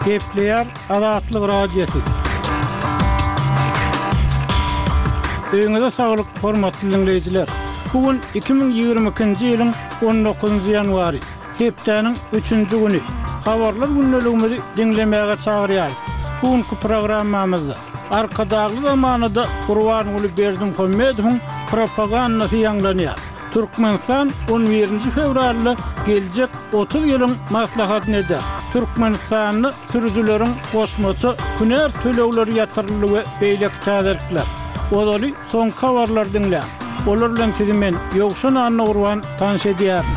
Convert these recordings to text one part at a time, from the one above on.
Gepleýär Azatlyk Radiosy. Öýüňize saglyk, hormatly diňleýjiler! Bu gün 2022-nji ýylyň on dokuzynjy ýanwary, hepdäniň üçünji güni. Habarlar gündeligimizi diňlemäge çagyrýarys. Bu günki programmamyzda Arkadagly zamanada Gurbanguly Berdimuhamedowyň propagandasy ýaňlanýar. Türkmenistan on birinji fewralda geljek 30 ýylyň maslahatyny eder. Türkmenistanda sürüjileriň goşmaça hünär tölegleri ýatyryldy we beýleki täzelikler. Ozaly soňky habarlary diňläň. Olar bilen sizi men, Ýowşan Annagurban, tanyş edýärin.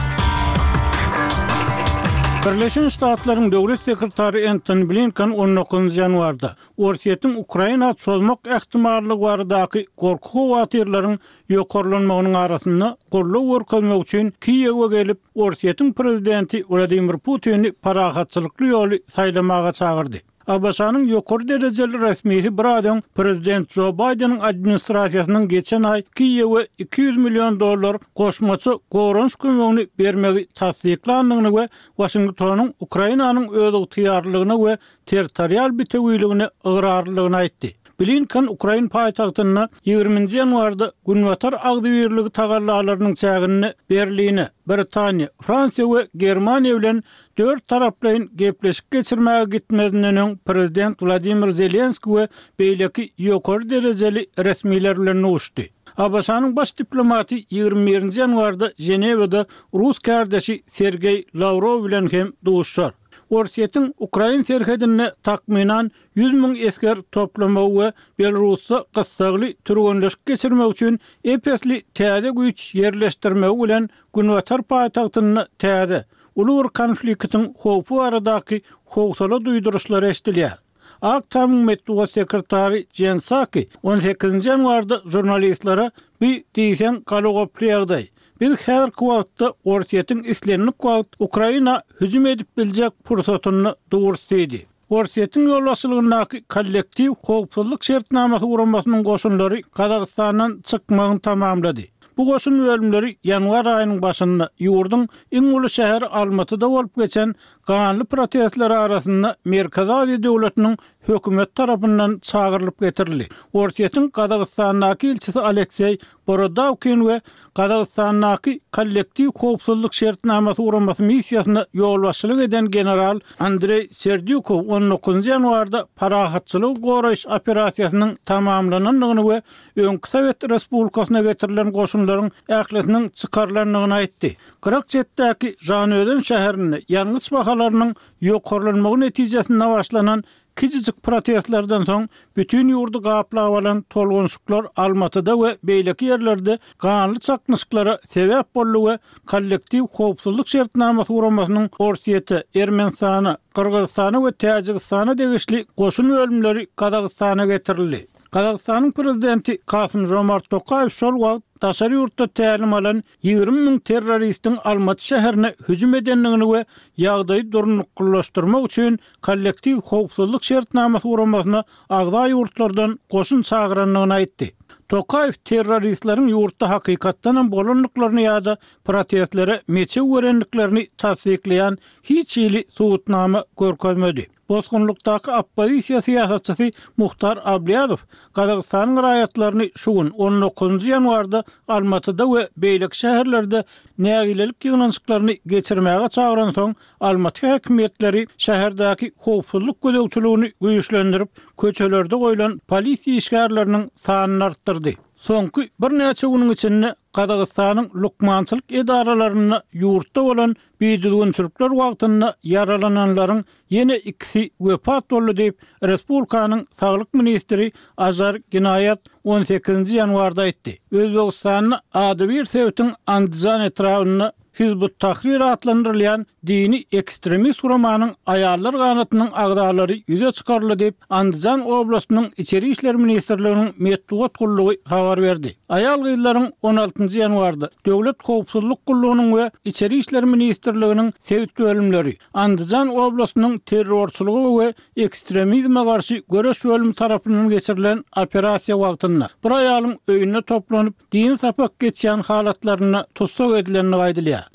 Birleşen Ştatlaryň Döwlet sekretary Entoni Blinken on dokuzynjy ýanwarda Orsýetiň Ukraina çozmak ähtimallygy baradaky gorky-howatyrlaryň ýokarlanmagynyň arasynda goldaw görkezmek üçin Kiýewe gelip, Orsýetiň prezidenti Wladimir Putini parahatçylykly ýoly saýlamaga çagyrdy. ABŞ-nyň ýokary derejeli resmisi biraz öň prezident Jo Baýdeniň administrasiýasynyň geçen aý Kiýewe 200 million dollar goşmaça goranyş kömegini bermegi tassyklandygyny we Waşingtonyň Ukrainanyň özygtyýarlylygyna we territorial bitewiligine ygrarlydygyny aýtdy. Blinken ukrain paýtagtynda ýigriminji ýanwarda Günbatar agzybirligi tagallalarynyň çäginde Berline, Britaniýa, Fransiýa we Germaniýa bilen dört taraplaýyn gepleşik geçirmäge gitmezinden öň prezident Wladimir Zelenskiý we beýleki ýokary derejeli resmiler bilen duşdy. ABŞ-nyň baş diplomaty 21-nji ýanwarda Ženewada rus kärdeşi Sergeý Lawrow bilen hem duşuşar. Orsýetiň ukrain serhedinde takmynan 100 müň esger toplamagy we Belarusda gyssagly türgenleşik geçirmek üçin ep-esli täze güýç ýerleşdirmegi bilen günbatar paýtagtynda täze, uly bir konfliktiň howpy baradaky howsala duýduryşlary eşidilýär. Ak Tamyň metbugat sekretary Jen Saki on sekizinji ýanwarda žurnalistlere Bu diýseň galagoply ýagdaý. Biz häzirki wagtda Orsýetiň islendik wagt Ukraina hüjüm edip biljek pursatynda durus diýdi. Orsýetiň ýolbaşçylygyndaky Kollektiw howpsuzlyk şertnamasy guramasynyň goşunlary Gazagystandan çykmagyny tamamlady. Bu goşun bölümleri ýanwar aýynyň başynda ýurduň iň uly şäheri Almatyda bolup geçen ganly protestler arasynda Merkezi Aziýa döwletiniň hökümeti tarapyndan çagyrylyp getirildi. Orsýetiň Gazagystandaky ilçisi Alekseý Borodawkin we Gazagystandaky Kollektiw howpsuzlyk şertnamasy guramasy missiýasyna ýolbaşçylyk eden general Andreý Serdýukow on dokuzynjy ýanwarda parahatçylygy goraýyş operasiýasynyň tamamlanandygyny we öňki sowet respublikasyna getirilen goşunlaryň ählisiniň çykarylandygyny aýtdy. Gyrak çetdäki Žanözen şäherinde ýangyç bahalarynyň ýokarlanmagy netijesinde başlanan Kiçijik protestlerden soň bütin ýurdy gaplap alan tolgunyşyklar Almatyda we beýleki ýerlerde ganly çaknyşyklara sebäp boldy we Kollektiw howpsuzlyk şertnamasy guramasynyň Orsýete, Ermenistana, Gyrgyzystana we Täjigistana degişli goşun bölümleri Gazagystana getirildi. Gazagystanyň prezidenti Kasym-Žomart Tokaýew şol wagt daşary ýurtda tälim alan 20 müň terroristiň Almaty şäherine hüjüm edendigini we ýagdaýy durnuklylaşdyrmak üçin Kollektiw howpsuzlyk şertnamasy guramasyna agza ýurtlardan goşun çagyrandygyny aýtdy. Tokaýew terroristleriň ýurtda hakykatdanam bolandyklaryny ýa-da protestlere meçew berendiklerini tassyklaýan hiç hili subutnama görkezmedi. Bosgunlykdaky oppozisiýa syýasatçysy Muhtar Ablýazow Gazagystanyň raýatlaryny şu gün, on dokuzynjy ýanwarda Almatyda we beýleki şäherlerde nägilelik ýygnanyşyklaryny geçirmäge çagyransoň, Almaty häkimiýetleri şäherdäki howpsuzlyk gözegçiligini güýçlendirip, köçelerde goýlan polisiýa işgärleriniň sanyny artdyrdy. Soňky birnäçe günüň içinde Gazagystanyň lukmançylyk edaralarynda ýurtda bolan bidüzgünçilikler wagtynda ýaralananlaryň ýene ikisi wepat boldy diýip, respublikanyň saglyk ministri Ažar Ginaýat on sekizinji ýanwarda aýtdy. Özbegistanda adybir sebitiň Andijan etrabynda Hizb ut-Tahrir atlandyrylýan dini ekstremist guramanyň aýallar ganatynyň agzalary ýüze çykaryldy diýip, Andijan oblastynyň Içeri işler ministrliginiň metbugat gullugy habar berdi. Aýal-gyzlaryň on altynjy ýanwarda Döwlet howpsuzlyk gullugynyň we Içeri işler ministrliginiň sebit bölümleri, Andijan oblastynyň terrorçylyga we ekstremizme garşy göreş bölümi tarapyndan geçirilen operasiýa wagtynda bir aýalyň öýünde toplanyp, dini sapak geçýän halatlarynda tussag edilendigi aýdylýar.